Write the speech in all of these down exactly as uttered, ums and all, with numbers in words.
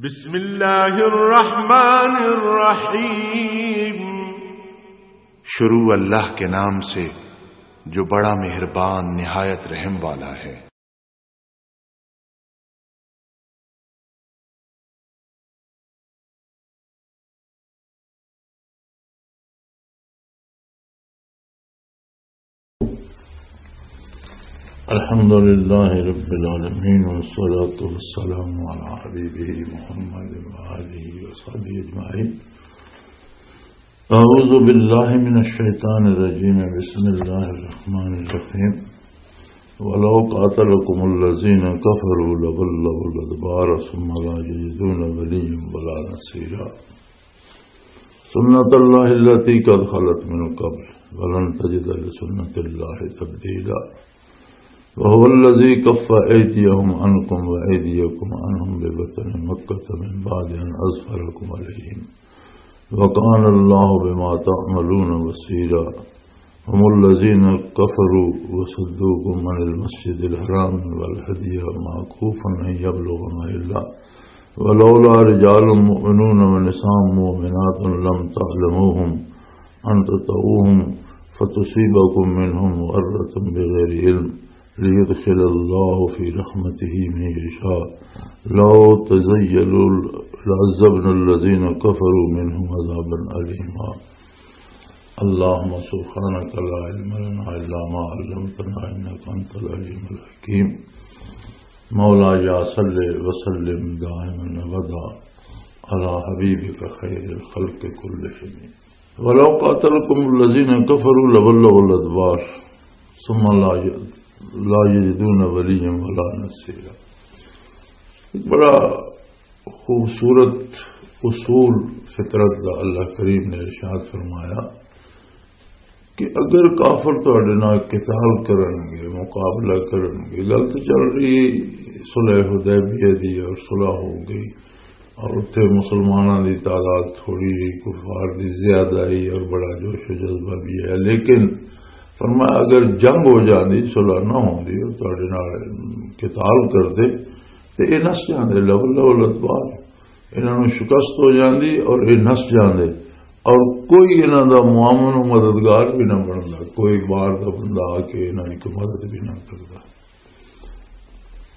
بسم اللہ الرحمن الرحیم۔ شروع اللہ کے نام سے جو بڑا مہربان نہایت رحم والا ہے۔ الحمد لله رب العالمين، والصلاة والسلام على حبيبه محمد وآله وصحبه أجمعين. أعوذ بالله من الشيطان الرجيم. بسم الله الرحمن الرحيم. ولو قاتلكم الذين كفروا لولوا الأدبار ثم لا يجدون وليا ولا نصيرا. سنة الله التي قد خلت من قبل ولن تجد لسنة الله تبديلا. وهو الذي كف أيديهم عنكم وأيديكم عنهم ببطن مكة من بعد أن أظفركم عليهم وكان الله بما تعملون بصيرا. هم الذين كفروا وصدوكم عن المسجد الحرام والهدي معكوفا أن يبلغ محله ولولا رجال مؤمنون ونساء مؤمنات لم تعلموهم أن تطؤوهم فتصيبكم منهم معرة بغير علم ليدخل الله في رحمته من يشاء. لو تزيلوا لعذبنا الذين كفروا منهم عذابا أليما. اللهم سبحانك لا علم لنا إلا ما علمتنا إنك أنت العليم الحكيم. مولاي صل وسلم دائما أبدا على حبيبك خير الخلق كلهم. ولو قاتلكم الذين كفروا لولوا الأدبار ثم لا ي-، لا يجدون وليا ولا نصيرا. ایک بڑا خوبصورت اصول فطرت دا اللہ کریم نے ارشاد فرمایا کہ اگر کافر تہاڈے نال قتال کرن گے، مقابلہ کرن گے، گل تو چل رہی صلح حدیبیہ دی اور صلح ہو گئی اور اتھے مسلماناں دی تعداد تھوڑی جی، کفار دی زیادہ آئی اور بڑا جوش و جذبہ بھی ہے، لیکن فرمایا اگر جنگ ہو جاندی، صلح نہ ہوندی اور تہاڈے نال قتال کردے تے اے نس جاندے، لولوا الأدبار، انہاں نوں شکست ہو جاندی اور اے نس جاندے، اور کوئی انہاں دا معاون و مددگار بھی نہ بندا، کوئی باہر دا بندہ آ کے انہاں دی کوئی مدد بھی نہ کردا۔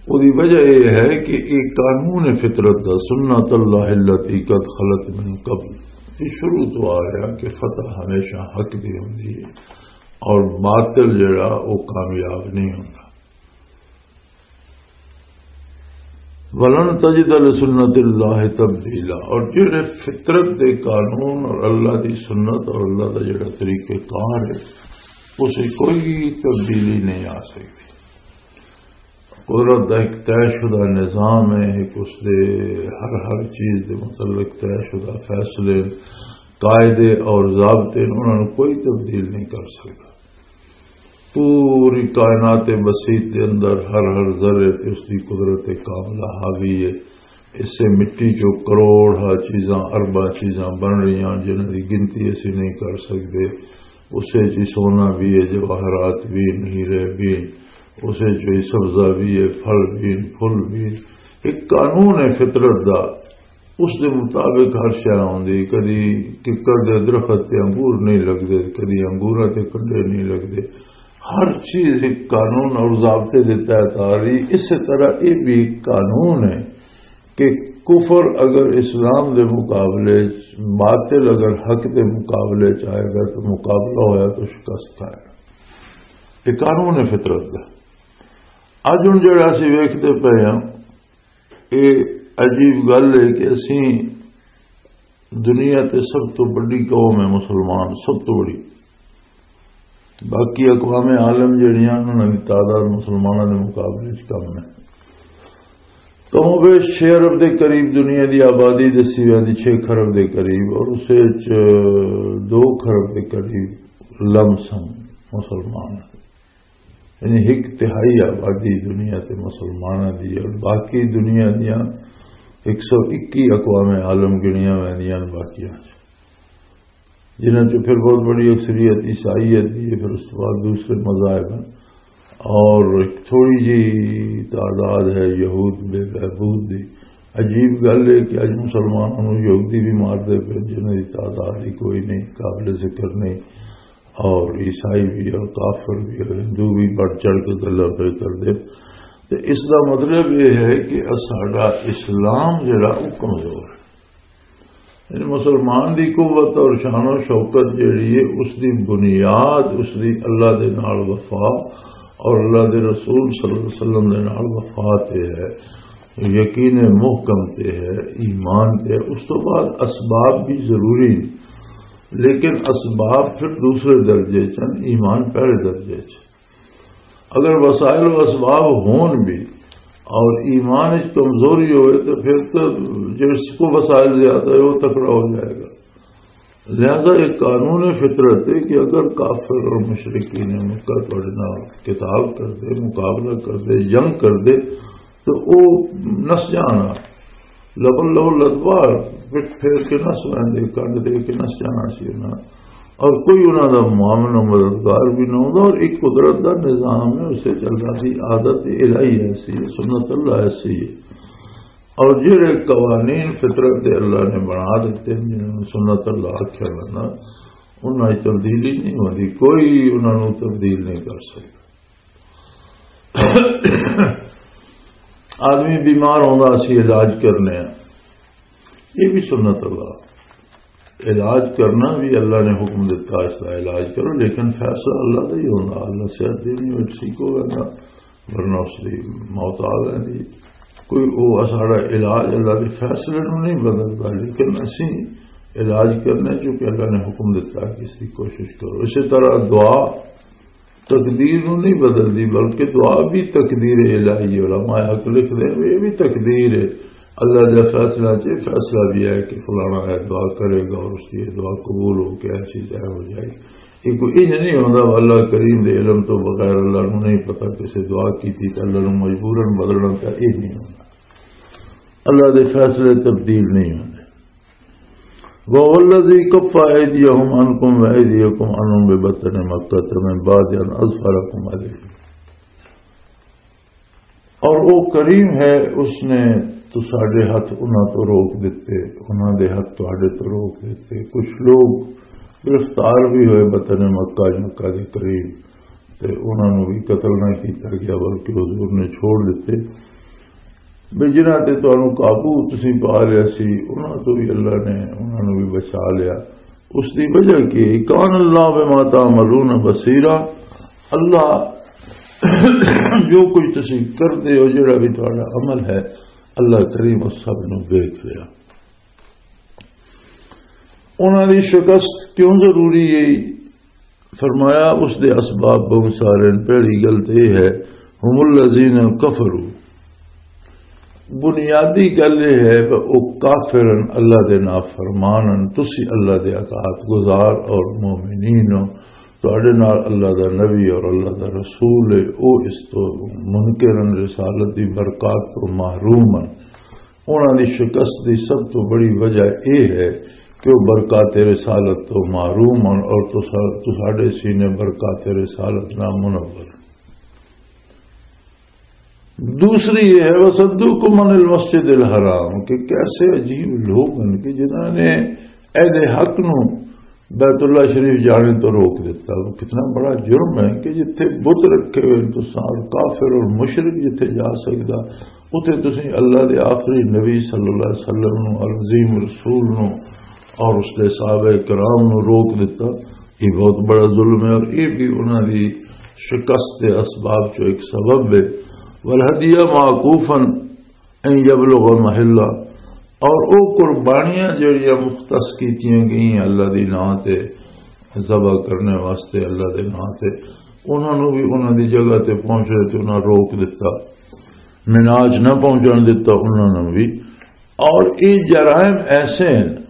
اودی وجہ اے ہے کہ اے قانون فطرت دا، سنت اللہ التی قد خلت من قبل، یہ شروع تو آ رہا کہ فتح ہمیشہ حق دی ہوندی ہے اور باطل جڑا، وہ کامیاب نہیں ہوندا۔ وَلَن تَجِدَ لِسُنَّتِ اللَّهِ تَبْدِيلًا، اور جڑے فطرت دے قانون اور اللہ دی سنت اور اللہ دا جڑا طریقہ کار ہے، اسے کوئی تبدیلی نہیں آ سکتی۔ قدرت دا ایک طے شدہ نظام ہے، ایک اس دے ہر ہر چیز دے متعلق طے شدہ فیصلے، قاعدے اور ضابطے، انہاں نوں کوئی تبدیل نہیں کر سکتا۔ پوری کائنات بسیط دے اندر ہر ہر ذرے تے اس دی قدرت کاملہ حاوی ہے۔ اس سے مٹی چوں کروڑ ہا چیزاں، ارباں چیزاں بن رہی ہیں جنہاں دی گنتی اسی نہیں کر سکتے۔ اسے چ سونا بھی ہے، جواہرات بھی، نیرے بھی، اسے چ سبزہ بھی ہے، پھل بھی، پھل بھی۔ ایک قانون ہے فطرت دا، اس دے مطابق ہر شے آوندی۔ کدی ککڑ دے درخت تے انگور نہیں لگدے، کدی انگوراں تے کنڈے نہیں لگدے۔ ہر چیز ایک قانون اور ضابطے دے تحت آ رہی۔ اسی طرح یہ بھی ایک قانون ہے کہ کفر اگر اسلام دے مقابلے چ، باطل اگر حق دے مقابلے چ آئے گا تو مقابلہ ہویا تو شکست آئے گا۔ یہ قانون ہے فطرت دا۔ اج ہن جڑا اسی ویکھدے پئے ہاں، یہ عجیب گل ہے کہ اسی دنیا تے سب تو بڑی قوم ہے مسلمان، سب تو بڑی۔ باقی اقوام عالم جڑیاں، انہاں دی تعداد مسلماناں دے مقابلے وچ کم ہے۔ کم و بیش چھ ارب دے قریب دنیا دی آبادی دسی ویندی، چھ خرب دے قریب، اور اس وچ دو خرب دے قریب لم سم مسلمان ہیں۔ یعنی ایک تہائی آبادی دنیا تے مسلماناں دی ہے، اور باقی دنیا دیاں ایک سو اکی اقوام عالم گنیاں ویندیاں نے باقیاں چ، جنہاں چ پھر بہت بڑی اکثریت عیسائیت دی ہے، پھر اس کے بعد دوسرے مذاہب ہیں، اور ایک تھوڑی جی تعداد ہے یہود بے بہبود دی، عجیب گل ہے کہ اج مسلمانوں نوں یہودی بھی مار دے پے، جنہاں دی تعداد ہی کوئی نہیں، قابل ذکر نہیں، اور عیسائی بھی اور کافر بھی اور ہندو بھی بڑھ چڑھ کے گلاں پہ کر دے۔ تے اس دا مطلب یہ ہے کہ ساڈا اسلام جڑا، وہ کمزور ہے۔ یعنی مسلمان دی قوت اور شان و شوکت جڑی ہے، اس دی بنیاد اس دی اللہ دے نال وفا اور اللہ دے رسول صلی اللہ علیہ وسلم دے نال وفا تے ہے، یقین محکم تے ہے، ایمان تے ہے۔ اس تو بعد اسباب بھی ضروری ہیں، لیکن اسباب پھر دوسرے درجے چ ہن، ایمان پہلے درجے چ۔ اگر وسائل و اسباب ہون بھی اور ایمان وچ کمزوری ہوئے تو پھر تو جس کو وسائل زیادہ ہے وہ تکڑا ہو جائے گا۔ لہذا ایک قانون فطرت ہے کہ اگر کافر اور مشرکین مکہ تہاڈے نال قتال کر دے، مقابلہ کر دے، جنگ کر دے، تو وہ نس جانا، لبن لو لدوار، پٹ پھیر کے نس ویندے، کنڈ دے کے نس جانا سی انہاں۔ اور کوئی انہاں دا معاون و مددگار بھی نہ ہوندا، اور ایک قدرت دا نظام ہے، اسے چلنا دی عادت الہی ایسی ہے، سنت اللہ ایسی ہے۔ اور جڑے قوانین فطرت دے اللہ نے بنا دیتے ہیں، جنہاں نوں سنت اللہ آکھیا ویندا، انہاں وچ تبدیلی نہیں ہوندی، کوئی انہاں نوں تبدیل نہیں کر سکدا۔ آدمی بیمار ہوندا، اسی علاج کرنے ہیں، یہ بھی سنت اللہ۔ علاج کرنا بھی اللہ نے حکم دیتا، اس کا علاج کرو، لیکن فیصلہ اللہ کا ہی ہوندا۔ اللہ صحت دینی ہوئے ٹھیک ہو جاتا، ورنہ اس کی موت آ جاتی۔ کوئی وہ سارا علاج اللہ کے فیصلے نو نہیں بدلتا، لیکن اسی علاج کرنے جو کہ اللہ نے حکم دیتا کہ اس کی کوشش کرو۔ اسی طرح دعا تقدیر نو نہیں بدلدی، بلکہ دعا بھی تقدیر الہی ہے۔ علماء حق لکھ دے، یہ بھی تقدیر ہے، اللہ دے فیصلہ چ فیصلہ بھی ہے کہ فلانا ہے دعا کرے گا اور اس کی دعا قبول ہو کے ایسی طے ہو جائے۔ یہ کوئی انج نہیں ہوندا، اللہ کریم دے علم تو بغیر اللہ نو نہیں پتا کسے دعا کی تھی تو اللہ نو مجبوراً بدلنا، تو یہ نہیں ہوندا۔ اللہ دے فیصلے تبدیل نہیں ہوندے۔ وَهُوَ الَّذِي كَفَّ أَيْدِيَهُمْ عَنْكُمْ وَأَيْدِيَكُمْ عَنْهُمْ بِبَطْنِ مَكَّةَ مِنْ بَعْدِ أَنْ أَظْفَرَكُمْ عَلَيْهِمْ۔ اور وہ کریم ہے، اس نے تو ساڈے ہاتھ انہاں تو روک دیتے، انہاں دے ہاتھ تہاڈے تو روک دیتے۔ کچھ لوگ گرفتار بھی ہوئے بطن مکہ، مکہ دے قریب، تے انہاں نوں بھی قتل نہ کیتا گیا، بلکہ حضور نے چھوڑ دیتے۔ بھی جنہاں تے تانوں قابو تسی پا لیا سی، انہاں تو بھی اللہ نے انہاں نوں بھی بچا لیا۔ اس دی وجہ کی؟ کان اللہ بما تعملون بصیرا، اللہ جو کچھ تسی کردے ہو، جڑا بھی تہاڈا عمل ہے، اللہ کریم اس سب نوں دیکھ لیا۔ انہاں دی شکست کیوں ضروری ہے؟ فرمایا، اس دے اسباب بہت سارے ہیں۔ پہلی گل تے یہ ہے، هم الذين كفروا۔ بنیادی گل یہ ہے کہ وہ کافر ہیں، اللہ دے نافرمان ہیں، تسی اللہ دے اطاعت گزار اور مومنین ہو۔ تہاڈے نال اللہ دا نبی اور اللہ دا رسول ہے، وہ اس تو منکر ہیں، رسالت دی برکات تو محروم ہیں۔ انہاں دی شکست دی سب تو بڑی وجہ یہ ہے کہ وہ برکات رسالت تو محروم ہن اور تسا-، تساڈے سینے برکات رسالت نہ منور۔ دوسری یہ ہے، وَصَدُّوكُمْ عَنِ الْمَسْجِدِ الْحَرَامِ، کہ کیسے عجیب لوگ ہیں کہ جنہاں نے اہل حق نو بیت اللہ شریف جانے تو روک دیتا۔ وہ کتنا بڑا جرم ہے کہ جتھے بت رکھے ہوئے تساں اور کافر اور مشرک جتھے جا سکدا، اتھے تسیں اللہ دے آخری نبی صلی اللہ علیہ وسلم نو، العظیم رسول نو اور اس دے صحابہ کرام نو روک دیتا۔ یہ بہت بڑا ظلم ہے اور یہ بھی انہاں دی شکست دے اسباب چوں ایک سبب ہے۔ والہدی معکوفا ان یبلغ محلہ، اور او قربانیاں جڑیاں مختص کیتیاں گئیاں اللہ دی ناں تے، ذبح کرنے واسطے اللہ دے ناں تے، انہاں نوں بھی انہاں دی جگہ تے پہنچے تے انہاں روک دتا، مناج نہ پہنچن دتا انہاں نوں بھی۔ اور یہ جرائم ایسے ہیں،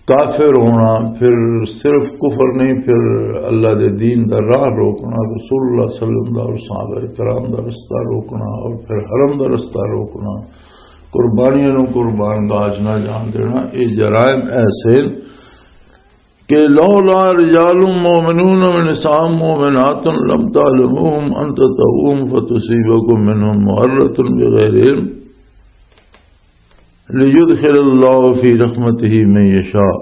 کافر ہونا، پھر صرف کفر نہیں، پھر اللہ دے دین دا راہ روکنا، رسول اللہ صلی اللہ علیہ وسلم دا اور صحابہ کرام دا رستہ روکنا، اور پھر حرم دا رستہ روکنا، قربانیاں نوں قربان گاہ نہ جان دینا، یہ جرائم ایسے ہیں کہ لولا رجال مؤمنون ونساء مؤمنات لم تعلموهم ان تطؤوهم فتصيبكم منهم معرة بغير علم۔ لیدخل اللہ فی رحمتہ من یشاء۔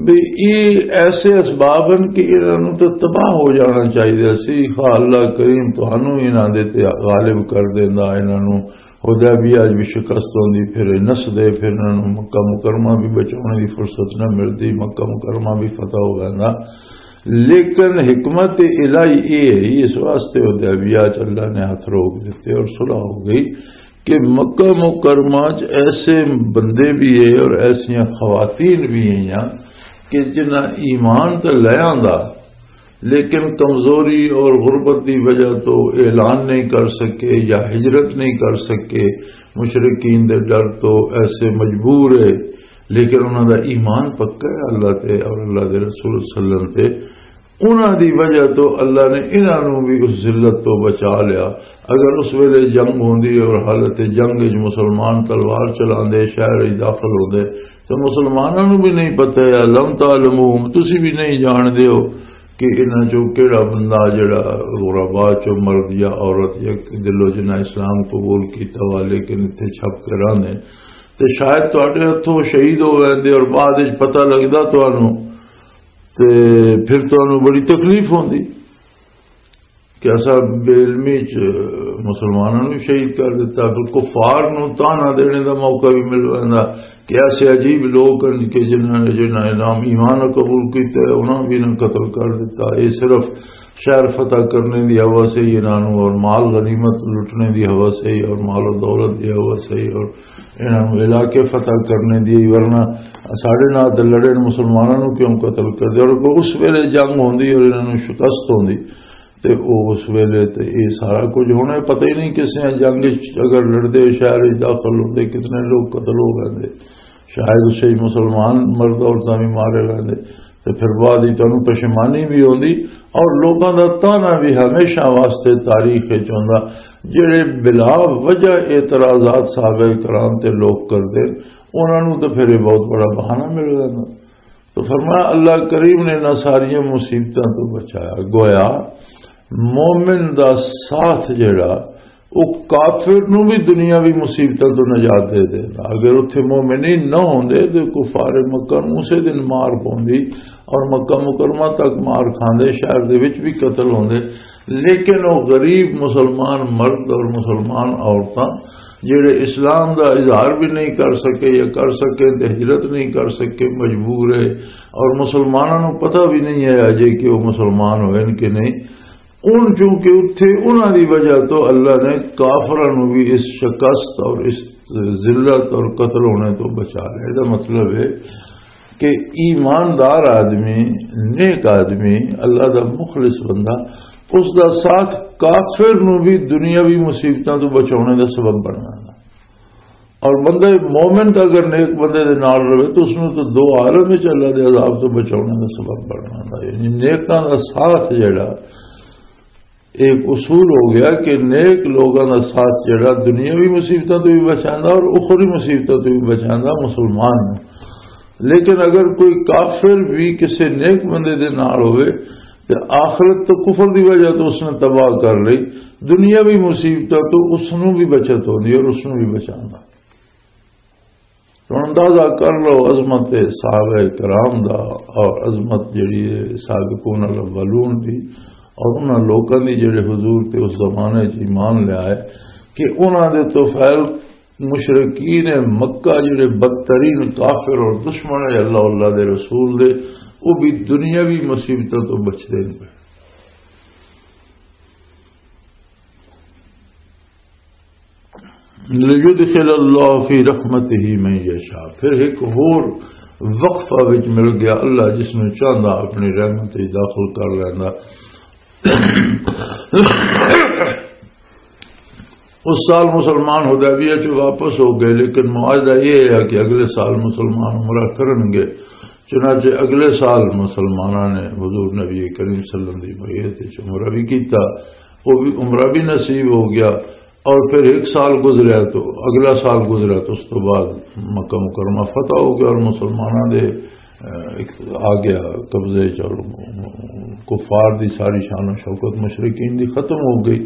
بھی یہ ایسے اسباب ہیں کہ انہاں نوں تے تباہ ہو جانا چاہیے سی۔ خواہ اللہ کریم تہانوں انہاں دے تے غالب کر دیندا، انہاں نوں حدیبیہ وچ بھی شکست ہوندی، پھر یہ نسدے، پھر انہاں نوں مکہ مکرمہ بھی بچاؤنے دی فرصت نہ ملدی، مکہ مکرمہ بھی فتح ہو ویندا۔ لیکن حکمت الہی یہ ہے، اس واسطے حدیبیہ چ اللہ نے ہاتھ روک دیتے اور صلح ہو گئی کہ مکہ مکرمہ چ ایسے بندے بھی ہیں اور ایسیاں خواتین بھی ہیں کہ جنہاں ایمان تے لے آندا، لیکن کمزوری اور غربت دی وجہ تو اعلان نہیں کر سکے یا ہجرت نہیں کر سکے، مشرکین دے ڈر تو ایسے مجبور ہے، لیکن انہاں دا ایمان پکا ہے اللہ تے اور اللہ دے رسول صلی اللہ علیہ وسلم تے۔ انہاں دی وجہ تو اللہ نے انہاں نوں بھی اس ذلت تو بچا لیا۔ اگر اس ویلے جنگ ہوندی اور حالت جنگ وچ مسلمان تلوار چلاندے، شہر وچ داخل ہوندے، تو مسلماناں نوں بھی نہیں پتہ ہے، لم تعلموہم، تسی بھی نہیں جان دیو کہ انہاں چوں کیڑا بندہ جڑا غربا چوں مرد یا عورت یا دلو جنہاں اسلام قبول کیتا ہوا لیکن اتھے چھپ کے رہندے، تے شاید تہاڈے ہتھوں شہید ہو ویندے اور بعد وچ پتہ لگدا تہانوں، تے پھر تہانوں بڑی تکلیف ہوندی کہ اساں بے علمی چ مسلماناں نوں شہید کر دتا۔ پھر کفار نوں تانا دینے دا موقع بھی مل ویندا کہ ایسے عجیب لوگ ہیں کہ جنہاں نے، جنہاں نے نام ایمان قبول کیتا ہے، انہاں بھی نہ قتل کر دتا۔ یہ صرف شہر فتح کرنے دی حوث ہے انہاں نوں، اور مال غنیمت لٹنے دی حوث ہے، اور مال و دولت دی حوث ہے، اور انہاں نوں علاقے فتح کرنے دی، ورنہ ساڈے نال تے لڑے نے، مسلماناں نوں کیوں قتل کر دے؟ اور اس ویلے جنگ ہوندی اور انہاں نوں شکست ہوندی، تے او اس ویلے تے اے سارا کچھ ہونا، پتہ ہی نہیں کسے جنگ وچ اگر لڑدے شہر وچ داخل ہوندے کتنے لوگ قتل ہو گئے۔ شاید اسے ہی مسلمان مرد عورتاں بھی مارے گئے، تے پھر بعد ہی تانوں پشیمانی بھی ہوندی اور لوگاں دا تانا بھی ہمیشہ واسطے تاریخ وچ ہوندا۔ جڑے بلا وجہ اعتراضات صحابہ کرام تے لوگ کردے، انہاں نوں تے پھر یہ بہت بڑا بہانہ مل جاندا۔ تو فرمایا، اللہ کریم نے انہاں ساریاں مصیبتاں تو بچایا۔ گویا مومن دا ساتھ جڑا، او کافر نو بھی دنیاوی مصیبتاں تو نجات دے دیندا۔ اگر اتھے مومنین نہ ہوندے تے کفار مکہ نو اسے دن مار پوندی اور مکہ مکرمہ تک مار کھاندے، شہر دے وچ بھی قتل ہوندے۔ لیکن او غریب مسلمان مرد اور مسلمان عورتاں جڑے اسلام دا اظہار بھی نہیں کر سکے یا کر سکے تے ہجرت نہیں کر سکے، مجبور ہے، اور مسلماناں نو پتہ بھی نہیں ہے اجے کہ وہ مسلمان ہوئے کہ نہیں، ان چونکہ اتھے انہاں دی وجہ تو اللہ نے کافراں نوں بھی اس شکست اور اس ذلت اور قتل ہونے تو بچا لیا۔ اس دا مطلب ہے کہ ایماندار آدمی، نیک آدمی، اللہ دا مخلص بندہ، اس دا ساتھ کافر نوں بھی دنیاوی مصیبتاں تو بچاؤنے دا سبب بننا۔ اور بندہ مومن تے اگر نیک بندے دے نال رہے تو اس نوں تو دو عالم وچ اللہ دے عذاب تو بچاؤنے دا سبب بننا۔ یعنی نیکاں دا ساتھ جڑا ایک اصول ہو گیا کہ نیک لوگاں دا ساتھ جڑا دنیاوی مصیبتاں تو بھی بچاندا اور اخروی مصیبتاں تو بھی بچاندا مسلمان نوں۔ لیکن اگر کوئی کافر بھی کسی نیک بندے دے نال ہوئے تے آخرت تو کفر دی وجہ تو اس نے تباہ کر لئی، دنیاوی مصیبتاں تو اس نوں بھی بچت ہوندی اور اس نوں بھی بچاندا۔ ہن اندازہ کر لو عظمت صحابہ کرام دا اور عظمت جڑی ہے سابقون الاولون دی اور انہاں لوکاں دی جڑے حضور تے اس زمانے چ ایمان لے آئے کہ انہاں دے تو فعل مشرکین مکہ جڑے بدترین کافر اور دشمن ہے اللہ، اللہ دے رسول دے، وہ بھی دنیاوی مصیبتوں تو بچدے نہیں پے۔ لیدخل اللہ فی رحمتہ من یشاء۔ پھر ایک ہور وقفہ وچ مل گیا، اللہ جس نوں چاہندا اپنی رحمت وچ داخل کر لیندا۔ اس سال مسلمان حدیبیہ چ واپس ہو گئے، لیکن معاہدہ یہ ہے کہ اگلے سال مسلمان عمرہ کرن گے۔ چنانچہ اگلے سال مسلماناں نے حضور نبی کریم صلی اللہ علیہ وسلم دی بیعت وچ عمرہ بھی کیتا، وہ بھی عمرہ بھی نصیب ہو گیا۔ اور پھر ایک سال گزریا تو اگلا سال گزریا تو اس تو بعد مکہ مکرمہ فتح ہو گیا اور مسلماناں دے آ گیا قبضے چ، اور کفار دی ساری شان و شوکت مشرکین دی ختم ہو گئی۔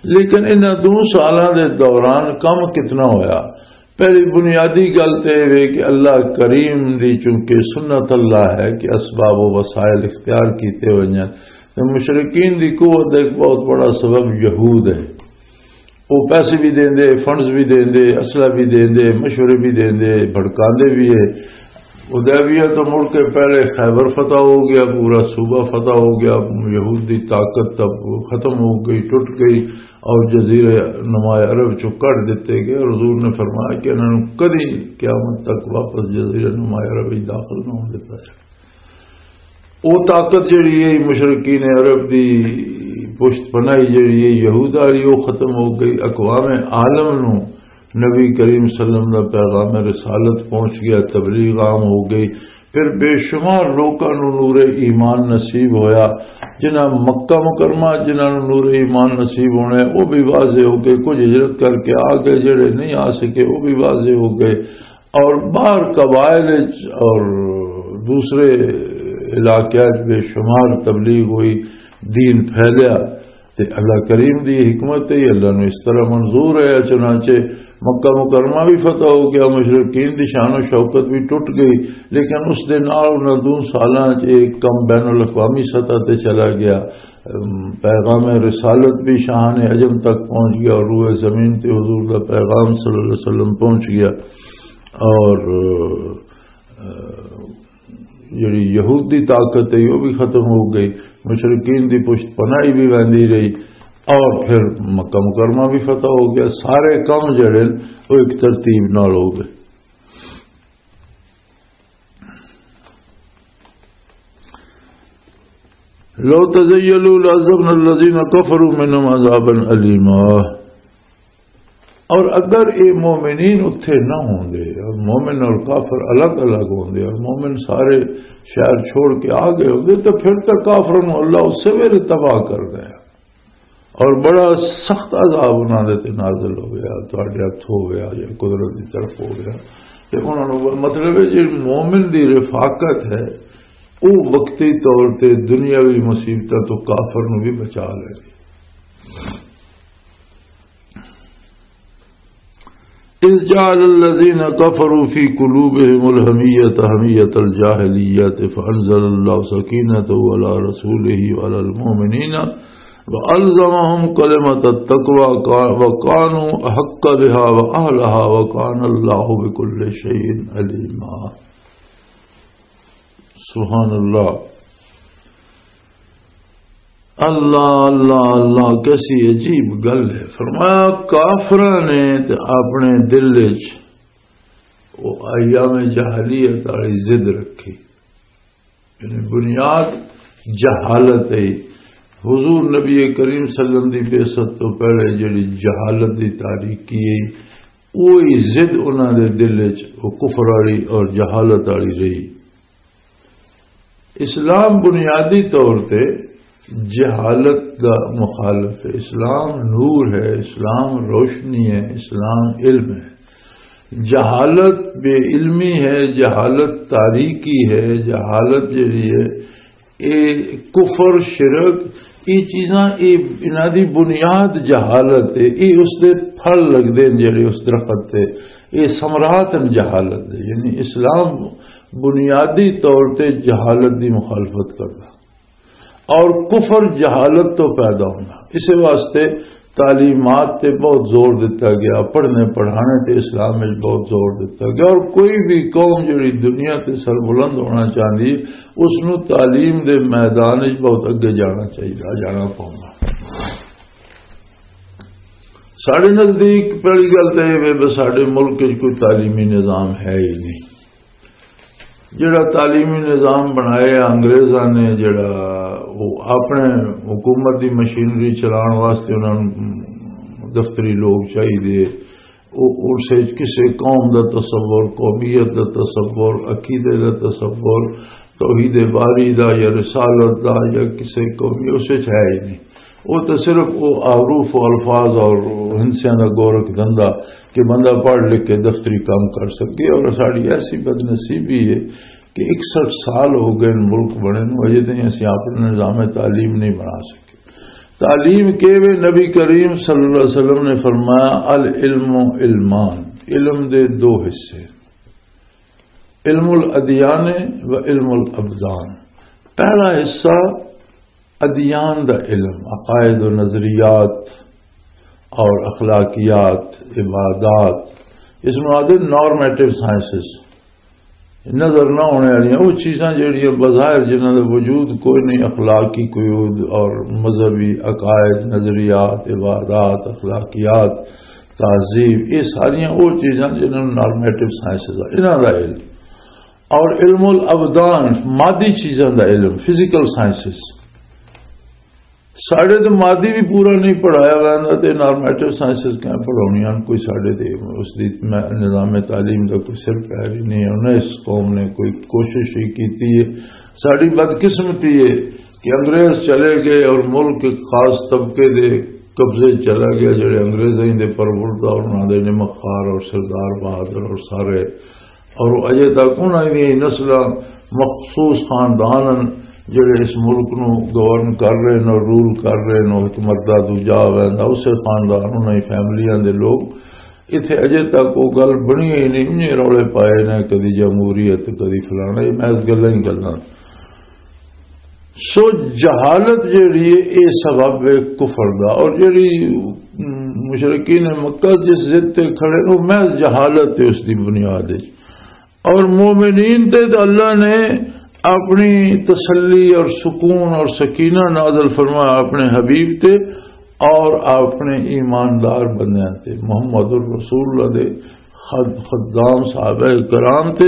لیکن انہاں دو سالاں دے دوران کم کتنا ہویا؟ پہلی بنیادی گل تے اے وے کہ اللہ کریم دی چونکہ سنت اللہ ہے کہ اسباب و وسائل اختیار کیتے ہوئے ہیں، تے مشرکین دی قوت دا ایک بہت بڑا سبب یہود ہے۔ وہ پیسے بھی دیندے، فنڈز بھی دیندے، اسلحہ بھی دیندے، مشورے بھی دیندے، بھڑکاندے بھی ہے۔ حدیبیہ تو مڑ کے پہلے خیبر فتح ہو گیا، پورا صوبہ فتح ہو گیا، یہود دی طاقت تب ختم ہو گئی، ٹوٹ گئی، اور جزیرے نما عرب چوں کڈ دتے گئے، اور حضور نے فرمایا کہ انہاں نوں کدی قیامت تک واپس جزیرے نما عرب وچ داخل نہ ہون دتا جائے۔ وہ طاقت جڑی ہے مشرکین عرب دی پشت پناہی جڑی ہے یہود والی، وہ ختم ہو گئی۔ اقوام عالم نو نبی کریم صلی اللہ علیہ وسلم دا پیغام رسالت پہنچ گیا، تبلیغ عام ہو گئی۔ پھر بے شمار لوکاں نو نور ایمان نصیب ہویا۔ جنہاں مکہ مکرمہ، جنہاں نو نور ایمان نصیب ہونے، وہ بھی واضح ہو گئے۔ کچھ ہجرت کر کے آ گئے، جڑے نہیں آ سکے، وہ بھی واضح ہو گئے۔ اور باہر قبائل وچ اور دوسرے علاقے وچ بے شمار تبلیغ ہوئی، دین پھیلیا۔ تے اللہ کریم دی حکمت ہے، اللہ نو اس طرح منظور ہے۔ چنانچہ مکہ مکرمہ بھی فتح ہو گیا، مشرکین دی شان و شوکت بھی ٹوٹ گئی، لیکن اس دے نال انہاں دو سالاں چ ایک کم بین الاقوامی سطح تے چلا گیا۔ ام، پیغام رسالت بھی شاہان عجم تک پہنچ گیا اور روئے زمین تے حضور دا پیغام صلی اللہ علیہ وسلم پہنچ گیا۔ اور، آ، جڑی یہود دی طاقت ہے، وہ بھی ختم ہو گئی، مشرکین دی پشت پناہی بھی ویندی رہی، اور پھر مکہ مکرمہ بھی فتح ہو گیا۔ سارے کم جڑے نے، وہ ایک ترتیب نال ہو گئے۔ لو تزیلوا لعذبنا الذین کفروا منهم عذابا الیما۔ اور اگر یہ مومنین اتھے نہ ہوندے اور مومن اور کافر الگ الگ ہوندے اور مومن سارے شہر چھوڑ کے آ گئے ہوندے، تو پھر تو کافروں نوں اللہ اس ویلے تباہ کر دے اور بڑا سخت عذاب انہاں دے تے نازل ہو گیا، تہاڈے ہتھ ہو گیا یا قدرت دی طرف ہو گیا۔ تے انہاں نوں مطلب ہے جی مومن دی رفاقت ہے، وہ وقتی طور تے دنیاوی مصیبتاں تو کافر نوں بھی بچا لے۔ إذ جعل الذين كفروا في قلوبهم الحمية حمية الجاهلية فأنزل الله سكينته على رسوله وعلى المؤمنين وألزمهم كلمة التقوى وكانوا أحق بها وأهلها وكان الله بكل شيء عليما۔ سبحان اللہ۔ اللہ، اللہ، اللہ، کیسی عجیب گل ہے۔ فرمایا، کافراں نے تے اپنے دل وچ وہ ایام جاہلیت والی ضد رکھی، یعنی بنیاد جہالت ہے۔ حضور نبی کریم صلی اللہ علیہ وسلم دی بعثت تو پہلے جڑی جہالت دی تاریخ کی ہے، وہی ضد انہاں دے دل وچ وہ کفر والی اور جہالت والی رہی۔ اسلام بنیادی طور تے جہالت دا مخالف ہے۔ اسلام نور ہے، اسلام روشنی ہے، اسلام علم ہے۔ جہالت بے علمی ہے، جہالت تاریکی ہے، جہالت جڑی ہے، اے کفر، شرک، اے چیزاں، اے انہاں دی بنیاد جہالت ہے۔ اے اس دے پھل لگدے نے جڑے اس درخت تے، اے ثمرات ہیں جہالت دے۔ یعنی اسلام بنیادی طور تے جہالت دی مخالفت کردا اور کفر جہالت تو پیدا ہونا۔ اس واسطے تعلیمات تے بہت زور دتا گیا، پڑھنے پڑھانے تے اسلام وچ بہت زور دتا گیا، اور کوئی بھی قوم جڑی دنیا تے سربلند ہونا چاہندی ہے، اس نو تعلیم دے میدان وچ بہت اگے جانا چاہیے، جانا پوندا۔ ساڈے نزدیک پہلی گل تے یہ وے، بس ساڈے ملک وچ کوئی تعلیمی نظام ہے ہی نہیں۔ جڑا تعلیمی نظام بنایا انگریزاں نے، جڑا وہ اپنے حکومت دی مشینری چلان واسطے انہاں نوں دفتری لوگ چاہیے، وہ اس وچ کسے قوم دا تصور، قومیت دا تصور، عقیدے دا تصور، توحید باری دا یا رسالت دا یا کسے قومی، اس وچ ہے ہی نہیں۔ وہ تو صرف وہ حروف و الفاظ اور ہندسیاں دا گورکھ دھندا کہ بندہ پڑھ لکھ کے دفتری کام کر سکے۔ اور ساڈی ایسی بدنصیبی ہے کہ اکسٹھ سال ہو گئے ملک بنے نوں، اجے تائیں اسی اپنا نظام تعلیم نہیں بنا سکے۔ تعلیم کے وے؟ نبی کریم صلی اللہ علیہ وسلم نے فرمایا، "العلم علمان"، علم دے دو حصے، علم الادیان و علم الابدان۔ پہلا حصہ ادیان دا علم، عقائد و نظریات اور اخلاقیات، عبادات، اس نوں آدھے نارمیٹو سائنسز۔ نظر نہ ہونے والیاں وہ چیزاں جہڑیاں بظاہر جنہاں دا وجود کوئی نہیں، اخلاقی قیود اور مذہبی عقائد، نظریات، عبادات، اخلاقیات، تہذیب، یہ ساریاں وہ چیزاں جنہاں نوں نارمیٹو سائنسز آ، انہاں دا علم۔ اور علم الابدان، مادی چیزاں دا علم، فزیکل سائنسز۔ ساڈے تے مادی بھی پورا نہیں پڑھایا ویندا تے نارمیٹو سائنسز کیا پڑھاونیاں ہن؟ کوئی ساڈے تے اس دی میں نظام تعلیم دا کوئی سر پیر ہی نہیں ہے۔ انہیں اس قوم نے کوئی کوشش ہی کیتی ہے۔ ساڈی بدقسمتی ہے کہ انگریز چلے گئے اور ملک ایک خاص طبقے دے قبضے چلا گیا، جڑے انگریزاں دے پروردا اور انہاں دے نمک خوار اور سردار بہادر اور سارے، اور اجے تک انہاں دی نسلاں، مخصوص خاندان ہن جڑے اس ملک نو گورن کر رہے نے اور رول کر رہے نے، ایک مردہ دوجا ویندا، اسے خاندان، انہاں دی فیملیاں دے لوگ۔ اتھے اجے تک وہ گل بنی ہی نہیں، انہیں رولے پائے نے، کدی جمہوریت، کدی فلانا، یہ محض گلاں ہی گلاں۔ سو جہالت جیڑی ہے، اے سبب ہے کفر دا۔ اور جیڑی، م، مشرکین مکہ جس ضد تے کھڑے، وہ محض جہالت ہے اس دی بنیاد ہے۔ اور مومنین تے تو اللہ نے اپنی تسلی اور سکون اور سکینہ نازل فرمایا اپنے حبیب تے اور اپنے ایماندار بندیاں تے، محمد الرسول اللہ دے خد-، خدام صحابہ کرام تے،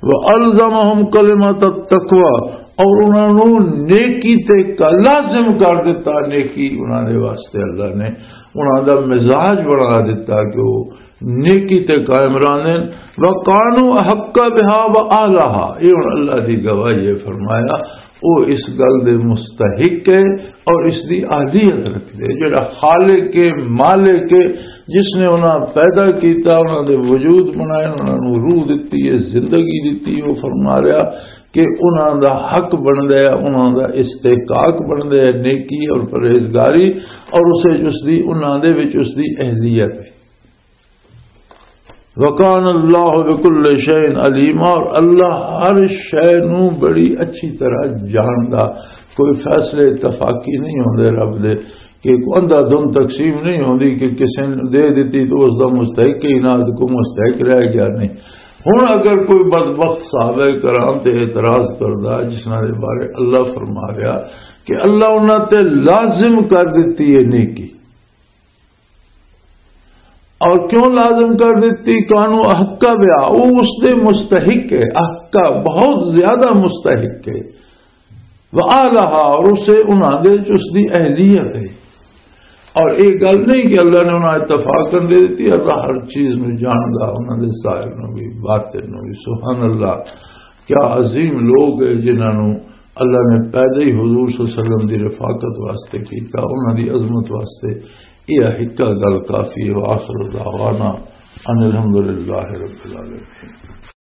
وَأَلْزَمَهُمْ كَلِمَةَ التَّقْوَى، اور انہاں نوں نیکی تے کا لازم کر دیتا، نیکی انہاں دے واسطے اللہ نے انہاں دا مزاج بنا دیتا کہ وہ نیکی تے قائم رہندے۔ وَكَانُوا أَحَقَّ بِهَا وَأَهْلَهَا، یہ ہن اللہ دی گواہی ہے، فرمایا، وہ اس گل دے مستحق ہے اور اس دی اہلیت رکھدے۔ جڑا خالق ہے، مالک ہے، جس نے انہاں پیدا کیتا، انہاں دے وجود بنائے، انہاں نوں روح دتی ہے، زندگی دتی، وہ فرما رہا کہ انہاں دا حق بندا ہے، انہاں دا استحقاق بندا ہے نیکی اور پرہیزگاری، اور اسے اس دی، انہاں دے وچ اس دی اہلیت ہے۔ وَكَانَ اللَّهُ بِكُلِّ شَيْءٍ عَلِيمًا، اور اللہ ہر شے نوں بڑی اچھی طرح جاندا۔ کوئی فیصلے اتفاقی نہیں ہوندے رب دے، کہ کوئی اندھا دھند تقسیم نہیں ہوندی کہ کسے نے دے دتی تو اس دا مستحق ہی نہ، کوئی مستحق رہ گیا نہیں۔ ہن اگر کوئی بدبخت صحابہ کرام تے اعتراض کردا، جس نال دے بارے اللہ فرما رہا کہ اللہ انہاں تے لازم کر دتی ہے نیکی، اور کیوں لازم کر دیتی؟ کانو احق بیا، وہ اس دے مستحق ہے، احق، بہت زیادہ مستحق ہے، وآلہا، اور اسے انہاں دے وچ اس دی اہلیت ہے۔ اور یہ گل نہیں کہ اللہ نے انہاں اتفاقاً دے دیتی، اللہ ہر چیز نو جاندا، انہاں دے ظاہر نو بھی، باطن نو بھی۔ سبحان اللہ، کیا عظیم لوگ ہے جنہاں نو اللہ نے پیدا ہی حضور صلی اللہ علیہ وسلم دی رفاقت واسطے کیتا، انہاں دی عظمت واسطے۔ یہ ہکا گل کافی ہے۔ وآخر دعوانا ان الحمدللہ رب العالمین۔